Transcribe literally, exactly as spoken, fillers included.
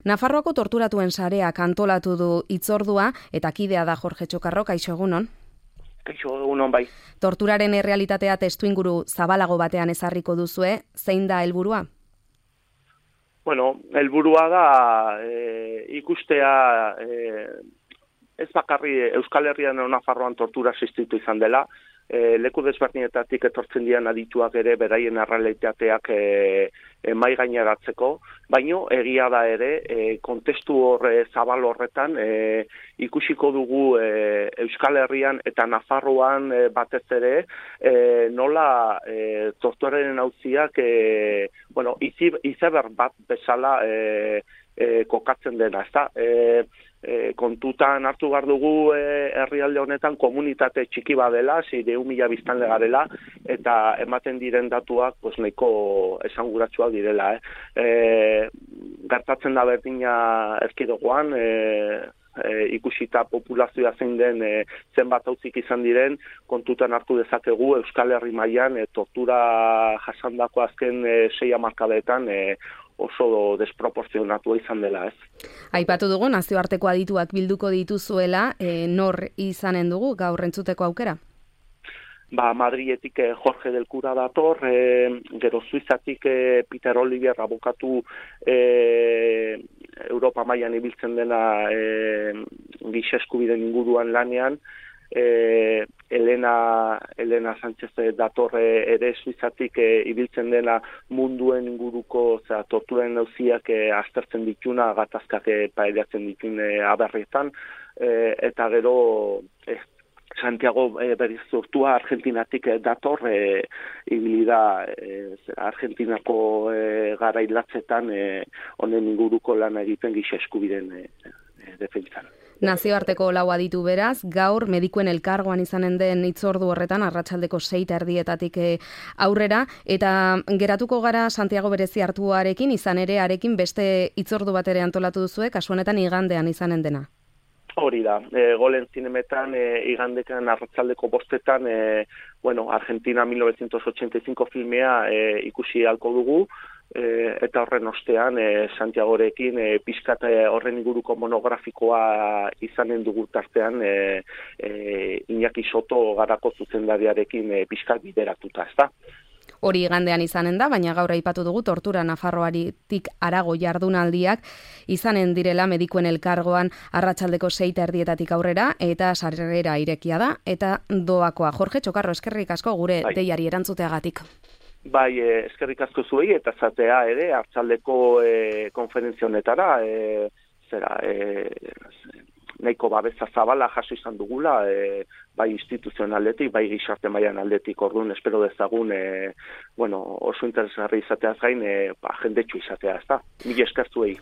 Nafarroako torturatuen sareak antolatu du hitzordua eta kidea da Jorge Txokarro, kaixo egunon. Kaixo egunon bai. Torturaren errealitatea testuinguru zabalago batean ezarriko duzue, zein da helburua? Bueno, helburua da e, ikustea e, ez bakarri Euskal Herrian edo Nafarroan tortura existitu izan dela, e, leku desberdinetatik etortzen dian adituak ere beraien errealitateak e, e, mai gaineratzeko, baino egia da ere e, kontestu horre zabal horretan e, ikusiko dugu e, Euskal Herrian eta Nafarroan e, batez ere e, nola e, torturaren auziak e, bueno, izi, izeber bat bezala e, e, kokatzen dena, ezta? E, E, kontutan hartu behar dugu e, herrialde honetan komunitate txiki badela, zireun mila biztanle garela, eta ematen diren datuak pues, nahiko esanguratsuak direla. Eh? E, gertatzen da berdina erkidegoan, e, e, ikusita populazioa zein den e, zenbat auzik izan diren, kontutan hartu dezakegu Euskal Herri mailan e, tortura jasandako azken e, sei hamarkadetan e, oso desproporzionatua izan dela, ez? Aipatu dugu nazioarteko adituak bilduko dituzuela, e, nor izanen dugu gaur entzuteko aukera? Ba, Madriletik eh, Jorge del Cura dator, eh, gero Suizatik eh, Peter Olivier abokatu eh, Europa mailan ibiltzen dena eh, giza eskubideen inguruan lanean, Eh, Elena, Elena Sánchez dator ere Suizatik eh, ibiltzen dena munduen inguruko zera, torturen auziak eh, aztertzen dituna, gatazkak eh, pairatzen ditun eh, aberrietan, eh, eta gero eh, Santiago eh, berriz sortua Argentinatik eh, dator, eh, ibili da eh, Argentinako eh, garailatzetan eh, honen inguruko lana egiten giza eskubideen eh, eh, defentsan. Nazioarteko lau aditu beraz, gaur medikuen elkargoan izanen den hitzordu horretan, arratsaldeko sei eta erdietatik aurrera, eta geratuko gara Santiago berezi hartuarekin, izan ere arekin beste hitzordu bat ere antolatu duzue, kasu honetan igandean izanen dena. Hori da, e, golen zinemetan, e, igandekan arratsaldeko bostetan, e, bueno, Argentina mil novecientos ochenta y cinco filmea e, ikusi halko dugu, E, eta horren ostean e, Santiagorekin e, pizkat horren inguruko monografikoa izanen dugu tartean e, e, Iñaki Soto garako zuzendariarekin e, pizkat bideratuta, ezta? Hori igandean izanen da, baina gaur aipatu dugu tortura Nafarroatik harago jardunaldiak izanen direla medikuen elkargoan arratsaldeko sei eta erdietatik aurrera, eta sarrera irekia da, eta doakoa. Jorge Txokarro, eskerrik asko gure bai. Deiari erantzuteagatik. Bai, eh, eskerrik asko zuei eta zatea ere hartzaldeko eh, konferentzia honetara, eh, zera, eh, nahiko babesa zabala jaso izan dugula, eh, bai instituzionaletik, bai gizarte mailan aldetik, orduan espero dezagun, eh, bueno, oso interesgarri izateaz gain, eh, ba, jendetsu izatea, ezta? Mila esker zuei.